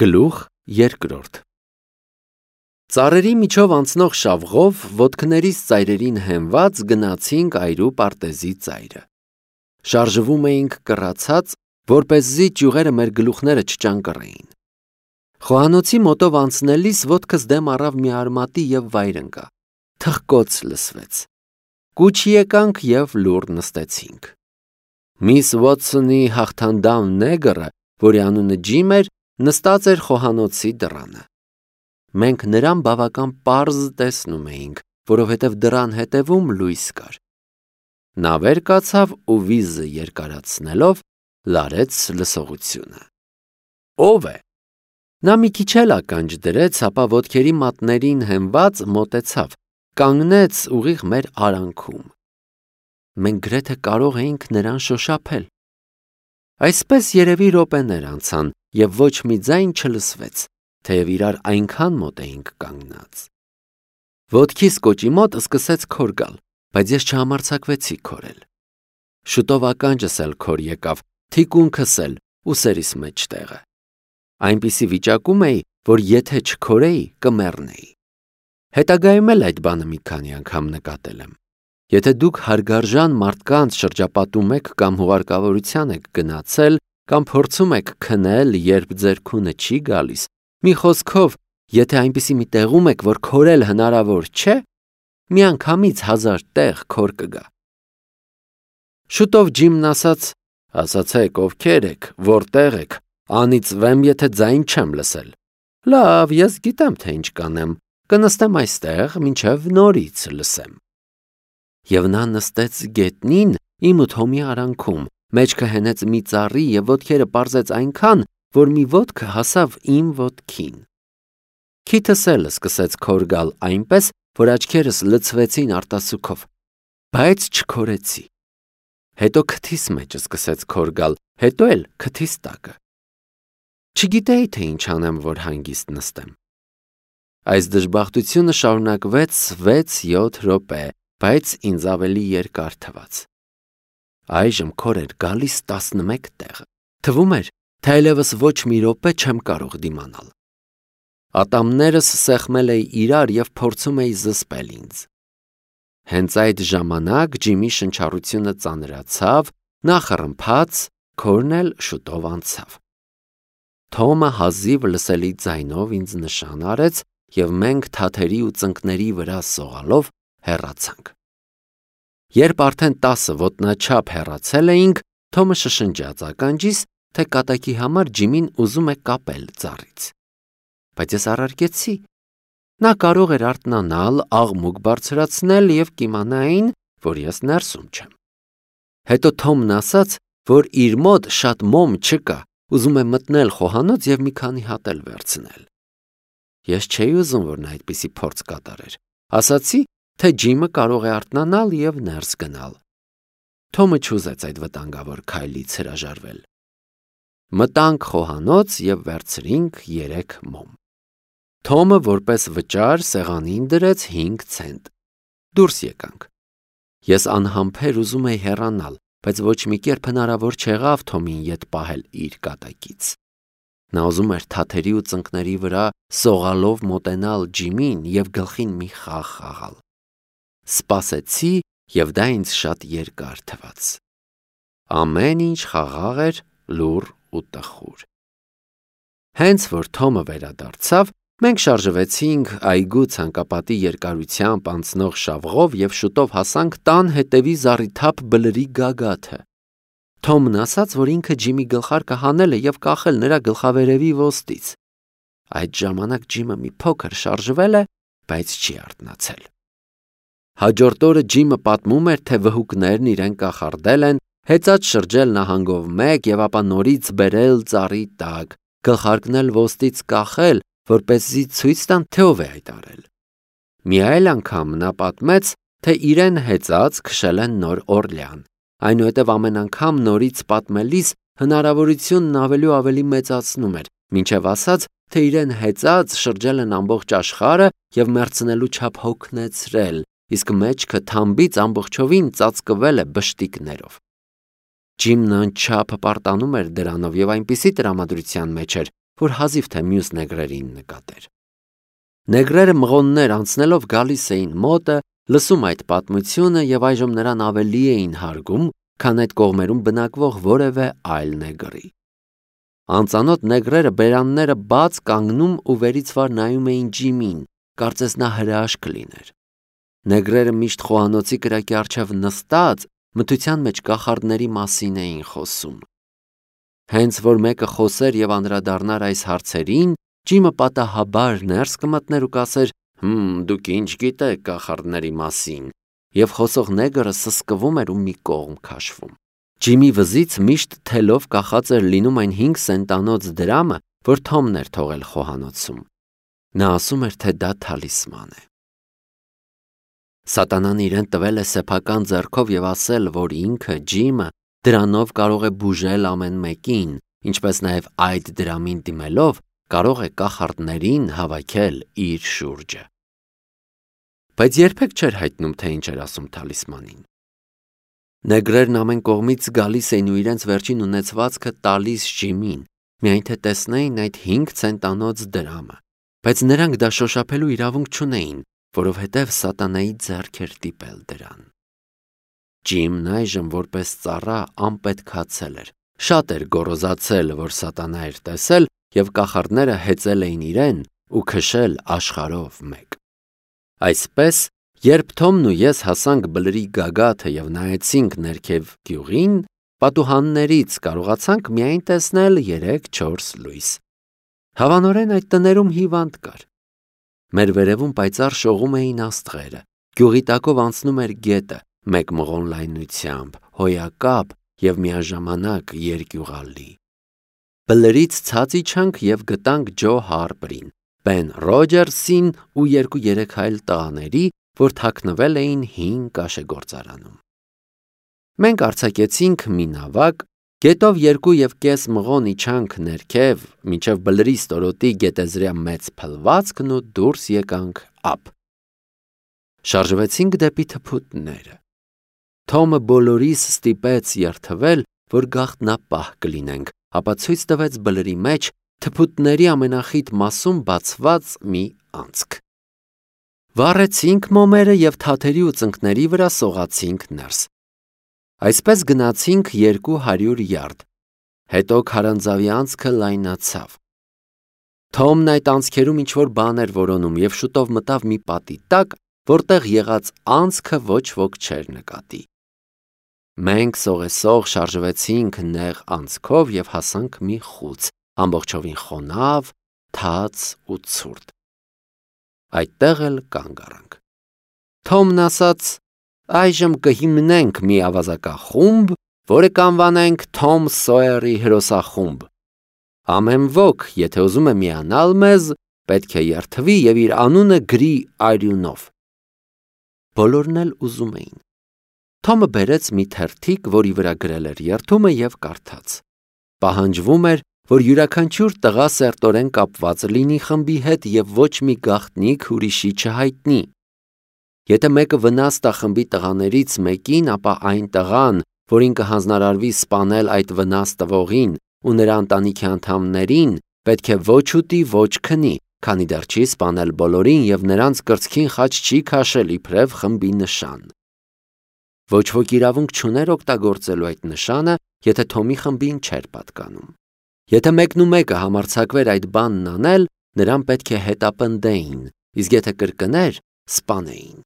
Գլուխ երկրորդ Ծառերի միջով անցնող շավղով ոտքներիս ծայրերին հենված գնացինք այրու պարտեզի ծայրը։ Շարժվում էինք կռացած, որպեսզի ճյուղերը մեր գլուխները չճանկռեին։ Խոհանոցի մոտով անցնելիս ոտքս դեմ առավ մի արմատի և վայր ընկա։ Թխկոց լսվեց։ Կուչ եկանք և լուռ նստեցինք։ Միս Ուոթսոնի հաղթանդամ նեգրը, որի անունը Ջիմ էր, նստած էր խոհանոցի դռանը։ Մենք նրան բավական պարզ տեսնում էինք, որովհետև դռան հետևում լույս կար։ Նա վեր կացավ ու վիզը երկարացնելով լարեց լսողությունը։ Ո՞վ է։ Նա մի քիչ էլ ականջ դրեց, ապա ոտքերի մատներին հենված մոտեցավ, կանգնեց ուղիղ մեր արանքում։ Մենք գրեթե կարող էինք նրան շոշափել։ Այսպես երևի րոպեներ անցան, և ոչ մի ձայն չլսվեց, թեև իրար այնքան մոտ էինք կանգնած։ Ոտքիս կոճի մոտ սկսեց քոր գալ, բայց ես չհամարձակվեցի քորել։ Շուտով ականջս էլ քոր եկավ, թիկունքս էլ, ուսերիս մեջտեղը։ Այնպիսի վիճակում էի, որ եթե չքորեի, կմեռնեի։ Հետագայում էլ այդ բանը մի քանի անգամ նկատել եմ։ Եթե դուք հարգարժան մարդկանց շրջապատում եք կամ հուղարկավորության եք գնացել, կամ փորձում եք քնել, երբ ձեր քունը չի գալիս, մի խոսքով, եթե այնպիսի մի տեղում եք, որ քորել հնարավոր չէ, միանգամից 1000 տեղ քոր կգա։ Շուտով Ջիմն ասաց. ասացեք, ովքեր եք, որտեղ եք, անիծվեմ, եթե ձայն չեմ լսել։ Լավ, ես գիտեմ, թե ինչ կանեմ, կնստեմ այստեղ, մինչև նորից լսեմ։ Եվ նա նստեց գետնին իմ ու Թոմի արանքում, մեջքը հենեց մի ծառի և ոտքերը պարզեց այնքան, որ մի ոտքը հասավ իմ ոտքին։ Քիթս էլ սկսեց քոր գալ այնպես, որ աչքերս լցվեցին արտասուքով, բայց չքորեցի։ Հետո քթիս մեջ սկսեց քոր գալ, հետո էլ քթիս տակը։ Չգիտեի, թե ինչ անեմ, որ հանգիստ նստեմ։ Այս դժբախտությունը շարունակվեց 6-7 րոպե, բայց ինձ ավելի երկար թվաց։ Այժմ քոր էր գալիս 11 տեղը։ Թվում էր, թե այլևս ոչ մի րոպե չեմ կարող դիմանալ։ Ատամներս սեղմել էի իրար և փորձում էի զսպել ինձ։ Հենց այդ ժամանակ Ջիմի շնչառությունը ծանրացավ, նա խռմփաց, քորն էլ շուտով անցավ։ Թոմը հազիվ լսելի ձայնով ինձ նշան արեց, և մենք թաթերի ու ծնկների վրա սողալով հեռացանք։ Երբ արդեն 10 ոտնաչափ հեռացել էինք, Թոմը շշնջաց ականջիս, թե կատակի համար Ջիմին ուզում է կապել ծառից։ Բայց ես առարկեցի։ Նա կարող էր արթնանալ, աղմուկ բարձրացնել և կիմանային, որ ես ներսում չեմ։ Հետո Թոմն ասաց, որ իր մոտ շատ մոմ չկա, ուզում է մտնել խոհանոց և մի քանի հատ էլ վերցնել։ Ես չէի ուզում, որ նա այդպիսի փորձ կատարեր։ Ասացի, թե Ջիմը կարող է արթնանալ և ներս գնալ։ Թոմը չուզեց այդ վտանգավոր քայլից հրաժարվել։ Մտանք խոհանոց և վերցրինք 3 մոմ։ Թոմը որպես վճար սեղանին դրեց 5 ցենտ։ Դուրս եկանք։ Ես անհամբեր ուզում էի հեռանալ, բայց ոչ մի կերպ հնարավոր չեղավ Թոմին ետ պահել իր կատակից։ Նա ուզում էր թաթերի ու ծնկների վրա սողալով մոտենալ Ջիմին և գլխին մի խաղ խաղալ։ Սպասեցի, և դա ինձ շատ երկար թվաց։ Ամեն ինչ խաղաղ էր, լուռ ու տխուր։ Հենց որ Թոմը վերադարձավ, մենք շարժվեցինք այգու ցանկապատի երկարությամբ անցնող շավղով և շուտով հասանք տան հետևի զառիթափ բլրի գագաթը։ Թոմն ասաց, որ ինքը Ջիմի գլխարկը հանել է և կախել նրա գլխավերևի ոստից։ Այդ ժամանակ Ջիմը մի փոքր շարժվել է, բայց չի արթնացել։ Հաջորդ օրը Ջիմը պատմում էր, թե վհուկներն իրեն կախարդել են, հեծած շրջել նահանգով մեկ և ապա նորից բերել ծառի տակ, գլխարկն էլ ոստից կախել, որպեսզի ցույց տան, թե ով է այդ արել։ Մի այլ անգամ նա պատմեց, թե իրեն հեծած քշել են Նոր Օրլեան, այնուհետև ամեն անգամ նորից պատմելիս հնարավորությունն ավելի ու ավելի մեծացնում էր, մինչև ասաց, թե իրեն հեծած շրջել են ամբողջ աշխարհը և մեռցնելու չափ հոգնեցրել, իսկ մեջքը թամբից ամբողջովին ծածկվել է բշտիկներով։ Ջիմն անչափ պարտանում էր դրանով և այնպիսի տրամադրության մեջ էր, որ հազիվ թե մյուս նեգրերին նկատեր։ Նեգրերը մղոններ անցնելով գալիս էին մոտը, լսում այդ պատմությունը եւ այժմ նրան ավելի էին հարգում, քան այդ կողմերում բնակվող որևէ այլ նեգրի։ Անծանոթ նեգրերը բերանները բաց կանգնում ու վերից վար նայում էին Ջիմին, կարծես նա հրաշք լիներ։ Նեգրերը միշտ խոհանոցի կրակի առջև նստած մթության մեջ կախարդների մասին էին խոսում։ Հենց որ մեկը խոսեր եւ անդրադառնար այս հարցերին, Ջիմը պատահաբար ներս կմտներ ու կասեր. «Դուք ինչ գիտեք կախարդների մասին», եւ խոսող նեգրը սսկվում էր ու մի կողմ քաշվում։ Ջիմի վզից միշտ թելով կախած էր լինում այն 5 սենտանոց դրամը, որ Թոմն էր թողել խոհանոցում։ Նա ասում էր, թե դա թալիսման է։ Սատանան իրեն տվել է սեփական ձեռքով եւ ասել, որ ինքը Ջիմը դրանով կարող է բուժել ամեն մեկին, ինչպես նաեւ այդ դրամին դիմելով կարող է կախարդներին հավաքել իր շուրջը։ Բայց երբեք չէր հայտնում, թե ինչ էր ասում թալիսմանին։ Նեգրերն ամեն կողմից գալիս էին ու իրենց վերջին ունեցվածքը տալիս Ջիմին, միայն թե տեսնեին այդ 5 ցենտանոց դրամը, բայց նրանք դա շոշափելու իրավունք չունեին, որովհետև սատանայի ձեռք էր դիպել դրան։ Ջիմն այժմ որպես ծառա անպետքացել էր, շատ էր գոռոզացել, որ սատանա էր տեսել եւ կախարդները հեծել էին իրեն ու քշել աշխարհով մեկ։ Այսպես, երբ Թոմն ու ես հասանք բլրի գագաթը եւ նայեցինք ներքև գյուղին, պատուհաններից կարողացանք միայն տեսնել 3-4 լույս։ Հավանորեն այդ տներում հիվանդ կար։ Մեր վերևում պայծառ շողում էին աստղերը, գյուղի տակով անցնում էր գետը, մեկ մղոն լայնությամբ, հոյակապ եւ միաժամանակ երկյուղալի։ Բլրից ցած իջանք եւ գտանք Ջո Հարպերին, Բեն Ռոջերսին ու 2-3 այլ տղաների, որ թաքնվել էին հին կաշեգործարանում։ Մենք արձակեցինք մի նավակ, գետով 2.5 մղոն իջանք ներքև, մինչև բլրի ստորոտի գետեզրյա մեծ փլվածքն ու դուրս եկանք ափ։ Շարժվեցինք դեպի թփուտները։ Թոմը բոլորիս ստիպեց երթվել, որ գաղտնապահ կլինենք, ապա ցույց տվեց բլրի մեջ թփուտների ամենախիտ մասում բացված մի անցք։ Վառեցինք մոմերը եւ թաթերի ու ծնկների վրա սողացինք ներս։ Այսպես գնացինք 200 յարդ, հետո քարանձավի անցքը լայնացավ։ Թոմն այդ անցքերում ինչ-որ բան էր որոնում եւ շուտով մտավ մի պատի տակ, որտեղ եղած անցքը ոչ ոք չէր նկատի։ Մենք սողեսող շարժվեցինք նեղ անցքով եւ հասանք մի խուց, ամբողջովին խոնավ, թաց ու ցուրտ։ Այդտեղ էլ կանգ առանք։ Թոմն ասաց. «Այժմ կհիմնենք մի ավազակախումբ, որը կանվանենք Թոմ Սոյերի հրոսախումբ։ Ամեն ոք, եթե ուզում է միանալ մեզ, պետք է երթվի եւ իր անունը գրի արյունով»։ Բոլորն էլ ուզում էին։ Թոմը բերեց մի թերթիկ, որի վրա գրել էր երթումը եւ կարդաց. Պահանջվում էր, որ յուրաքանչյուր տղա սերտորեն կապված լինի խմբի հետ եւ ոչ մի գաղտնիք ուրիշի չհայտնի։ Եթե մեկը վնաս տա խմբի տղաներից մեկին, ապա այն տղան, որին կհանձնարարվի սպանել այդ վնաս տվողին ու նրա ընտանիքի անդամներին, պետք է ոչ ուտի, ոչ քնի, քանի դեռ չի սպանել բոլորին եւ նրանց կրծքին խաչ չի քաշել իբրև խմբի նշան։ Ոչ ոք իրավունք չուներ օգտագործելու այդ նշանը, եթե Թոմի խմբին չէր պատկանում։ Եթե մեկն ու մեկը համարձակվեր այդ բանն անել, նրան պետք է հետապնդեին, իսկ եթե կրկներ, սպանեին։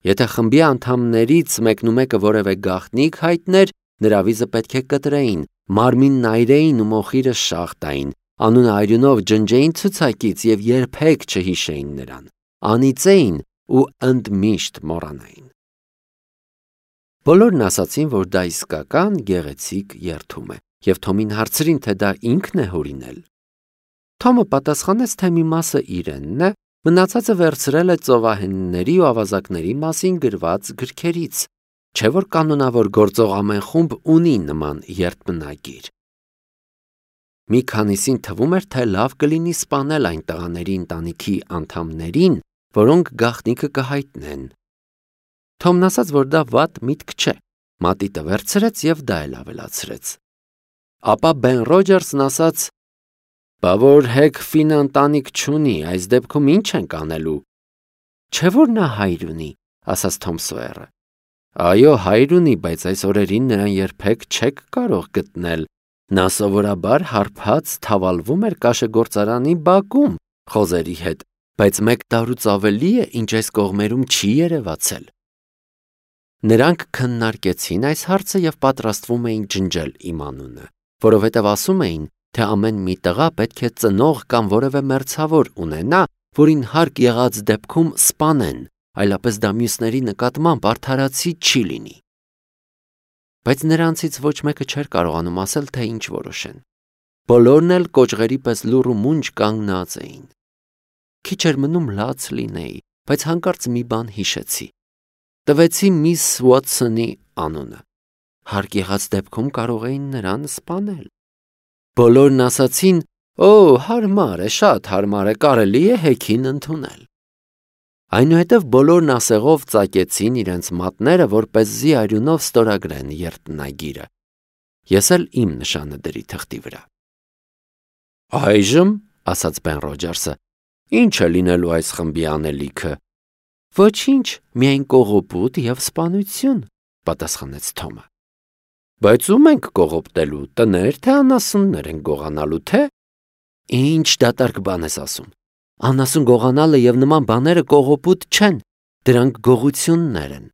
Եթե խմբի անդամներից մեկն ու մեկը որևէ գաղտնիք հայտներ, նրա վիզը պետք է կտրեին, մարմինն այրեին ու մոխիրը շաղ տային, անունը արյունով ջնջեին ցուցակից եւ երբեք չհիշեին նրան, անիծեին ու ընդմիշտ մոռանային։ Բոլորն ասացին, որ դա իսկական գեղեցիկ երթում է, եւ Թոմին հարցրին, թե դա ինքն է հորինել։ Թոմը պատասխանեց, թե մի մասը իրենն է, մնացածը վերցրել է ծովահենների ու ավազակների մասին գրված գրքերից, չէ որ կանոնավոր գործող ամեն խումբ ունի նման երթմնագիր։ Մի քանիսին թվում էր, թե լավ կլինի սպանել այն տղաների ընտանիքի անդամներին, որոնք գաղտնիքը կհայտնեն։ Թոմն ասաց, որ դա վատ միտք չէ, մատիտը վերցրեց եւ դա էլ ավելացրեց։ Ապա Բեն Ռոջերսն ասաց. Բա որ հեկ ֆին ընտանիք չունի, այս դեպքում ինչ ենք անելու։ Չէ որ նա հայր ունի, ասաց Թոմ Սոյերը։ Այո, հայր ունի, բայց այս օրերին նրան երբեք չեք կարող գտնել։ Նա սովորաբար հարբած թավալվում էր կաշեգործարանի բակում խոզերի հետ, բայց 1 տարուց ավելի է, ինչ այս կողմերում չի երևացել։ Նրանք քննարկեցին այս հարցը եւ պատրաստվում էին ջնջել իմ անունը, որովհետեւ ասում էին, թե ամեն մի տղա պետք է ծնող կամ որևէ մերձավոր ունենա, որին հարկ եղած դեպքում սպանեն, այլապես դա մյուսների նկատմամբ արդարացի չի լինի։ Բայց նրանցից ոչ մեկը չէր կարողանում ասել, թե ինչ որոշեն։ Բոլորն էլ կոճղերի պես լուռ ու մունջ կանգնած էին։ Քիչ էր մնում լաց լինեի, բայց հանկարծ մի բան հիշեցի։ Տվեցի միս Ուոթսոնի անունը։ Հարկ եղած դեպքում կարող էին նրան սպանել։ Բոլորն ասացին. «Օ, հարմար է, շատ հարմար է, կարելի է հեքին ընդունել»։ Այնուհետև բոլորն ասեղով ծակեցին իրենց մատները, որպեսզի արյունով ստորագրեն երտնագիրը։ Ես էլ իմ նշանը դրի թղթի վրա։ Այժմ, ասաց Բեն Ռոջերսը, ինչ է լինելու այս խմբի անելիքը։ Ոչինչ, միայն կողոպուտ եւ սպանություն, պատասխանեց Թոմը։ Բայց ում ենք կողոպտելու, տներ թե անասուններ են գողանալու, թե։ Ինչ դատարկ բան ես ասում։ Անասուն գողանալը եւ նման բաները կողոպուտ չեն, դրանք գողություններ են,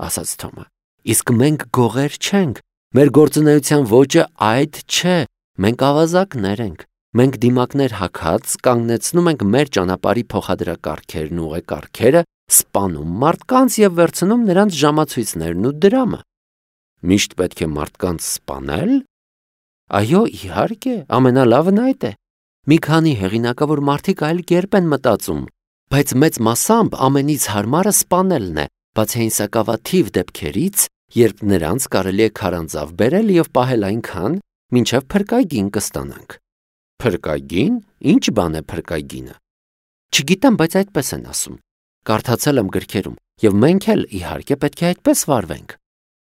ասաց Թոմը։ Իսկ մենք գողեր չենք, մեր գործունեության ոճը այդ չէ, մենք ավազակներ ենք։ Մենք դիմակներ հագած կանգնեցնում ենք մեր ճանապարհի փոխադրակարգերն ու ուղեկարգերը, սպանում մարդկանց եւ վերցնում նրանց ժամացույցներն ու դրամը։ Միշտ պետք է մարդկանց սպանել։ Այո, իհարկե, ամենալավն այդ է։ Մի քանի հեղինակավոր մարդիկ այլ կերպ են մտածում, բայց մեծ մասամբ ամենից հարմարը սպանելն է, բացի այն սակավաթիվ դեպքերից, երբ նրանց կարելի է քարանձավ բերել եւ պահել այնքան, մինչեւ փրկագին կստանանք։ Փրկագին? Ինչ բան է փրկագինը։ Չգիտեմ, բայց այդպես են ասում։ Կարդացել եմ գրքերում, եւ մենք էլ իհարկե պետք է այդպես վարվենք։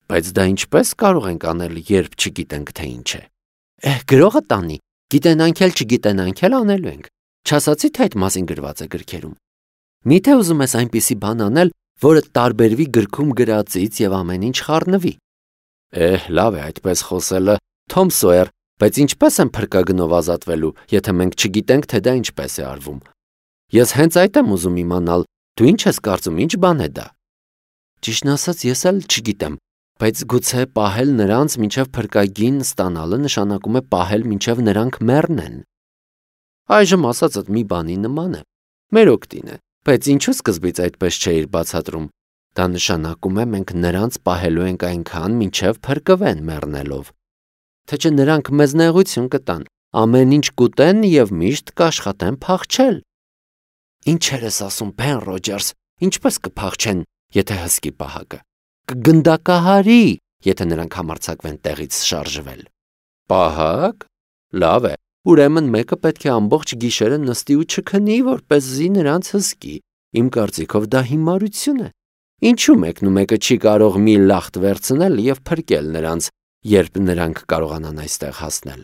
Բայց դա ինչպես կարող ենք անել, երբ չգիտենք թե ինչ է։ Գրողը տանի, գիտենանք էլ չգիտենանք էլ անելու ենք։ Չասացի թե այդ մասին գրված է գրքերում։ Միթե ուզում ես այնպիսի բան անել, որը տարբերվի գրքում գրածից եւ ամեն ինչ խառնվի։ Լավ է այդպես խոսելը, Թոմ Սոյեր, բայց ինչպես են փրկագնով ազատվելու, եթե մենք չգիտենք, թե դա ինչպես է արվում։ Ես հենց այդ եմ ուզում իմանալ, դու ինչ ես կարծում, ինչ բան է դա։ Ճիշտն ասած, ես էլ չգիտեմ, բայց գուցե պահել նրանց մինչև փրկագին ստանալը նշանակում է պահել մինչև նրանք մեռնեն։ Այժմ ասածդ մի բանի նման է։ Մեր օգտին է, բայց ինչու սկզբից այդպես չէիր բացատրում։ Դա նշանակում է մենք նրանց պահելու ենք այնքան, մինչև փրկվեն մեռնելով։ Թե չէ նրանք մեզ նեղություն կտան, ամեն ինչ կուտեն եւ միշտ կաշխատեն փախչել։ Ինչեր ես ասում, Բեն Ռոջերս, ինչպես կփախչեն, եթե հսկի պահակը։ Կգնդակահարի, եթե նրանք համարձակվեն տեղից շարժվել։ Պահակ։ Լավ է, ուրեմն մեկը պետք է ամբողջ գիշերը նստի ու չքնի, որպեսզի նրանց հսկի։ Իմ կարծիքով դա հիմարություն է։ Ինչու մեկն ու մեկը չի կարող մի լախտ վերցնել եւ փրկել նրանց, երբ նրանք կարողանան այստեղ հասնել։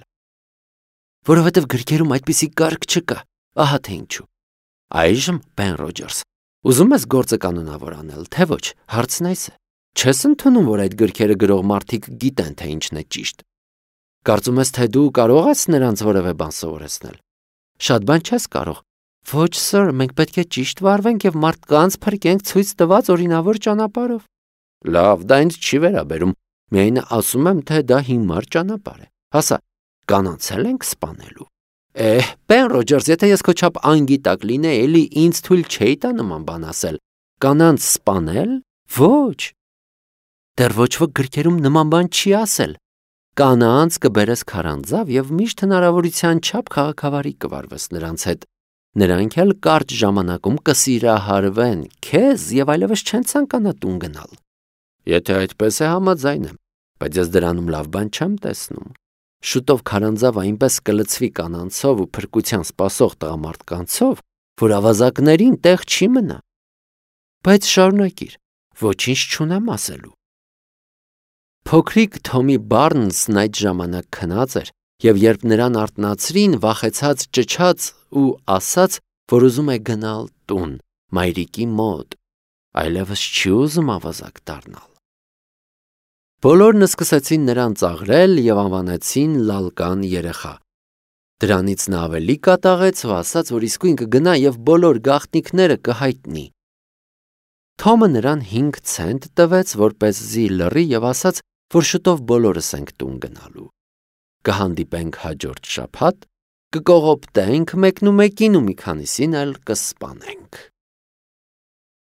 Որովհետև գրքերում այդպիսի կարգ չկա, ահա թե ինչու։ Այժմ, Բեն Ռոջերս, ուզում ես գործը կանոնավոր անել, թե ոչ, հարցն այս է։ Չես ընդունում, որ այդ գրքերը գրող մարդիկ գիտեն, թե ինչն է ճիշտ։ Կարծում ես, թե դու կարող ես նրանց որևէ բան սովորեցնել։ Շատ բան չես կարող։ Ոչ, սըր, մենք պետք է ճիշտ վարվենք եւ մարդկանց փրկենք ցույց տված օրինավոր ճանապարհով։ Լավ, դա ինձ չի վերաբերում։ Միայն ասում եմ, թե դա հիմար ճանապարհ է։ Հասա, կանանցել ենք սպանելու։ Բեն Ռոջերս, եթե ես քո չափ անգիտակ լինեի, էլի ինձ թույլ չէի տա նման բան ասել։ Կանանց սպանել։ Ոչ։ Դեռ ոչ ոք գրքերում նման բան չի ասել։ Կանանց կբերես քարանձավ եւ միշտ հնարավորության չափ քաղաքավարի կվարվես նրանց հետ։ Նրանք էլ կարճ ժամանակում կսիրահարվեն քեզ եւ այլևս չեն ցանկանա տուն գնալ։ Եթե այդպես է, համաձայն եմ, բայց ես դրանում լավ բան չեմ տեսնում։ Շուտով քարանձավ այնպես կլցվի կանանցով ու փրկության սպասող տղամարդկանցով, որ ավազակներին տեղ չի մնա։ Բայց շարունակիր, ոչինչ չունեմ ասելու։ Փոքրիկ Թոմի Բարնսն այդ ժամանակ քնած էր եւ երբ նրան արթնացրին, վախեցած ճչաց ու ասաց, որ ուզում է գնալ տուն, մայրիկի մոտ, այլևս չի ուզում ավազակ դառնալ։ Բոլորն սկսեցին նրան ծաղրել եւ անվանեցին Լալկան երեխա։ Դրանից նա ավելի կատաղեց ու ասաց, որ իսկույն կգնա եւ բոլոր գաղտնիքները կհայտնի։ Թոմը նրան 5 ցենտ տվեց, որպեսզի լռի եւ ասաց, որ շուտով բոլորս ենք տուն գնալու։ Կհանդիպենք հաջորդ շաբաթ, կկողոպտենք մեկնումեկին ու մի քանիսին էլ կսպանենք։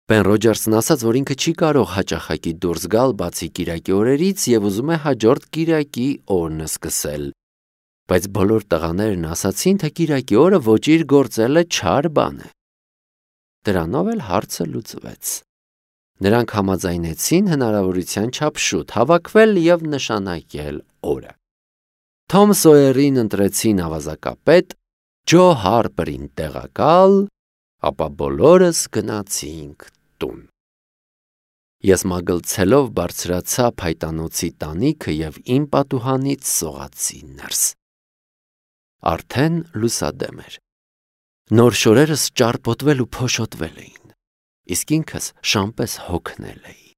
Բեն Ռոջերսն ասաց, որ ինքը չի կարող հաճախակի դուրս գալ բացի կիրակի օրերից եւ ուզում է հաջորդ կիրակի օրն սկսել։ Բայց բոլոր տղաներն ասացին, թե կիրակի օրը ոճիր գործելը չար բան է։ Դրանով էլ հարցը լուծվեց։ Նրանք համաձայնեցին հնարավորության չափ շուտ հավաքվել եւ նշանակել օրը։ Թոմ Սոյերին ընտրեցին ավազակապետ, Ջո Հարպերին տեղակալ, ապա բոլորս գնացինք տուն։ Ես մագլցելով բարձրացա փայտանոցի տանիքը եւ իմ պատուհանից սողացի ներս։ Արդեն լուսադեմ էր։ Նոր շորերս ճարպոտվել ու փոշոտվել էին, իսկ ինքս շամպես հոգնել էի։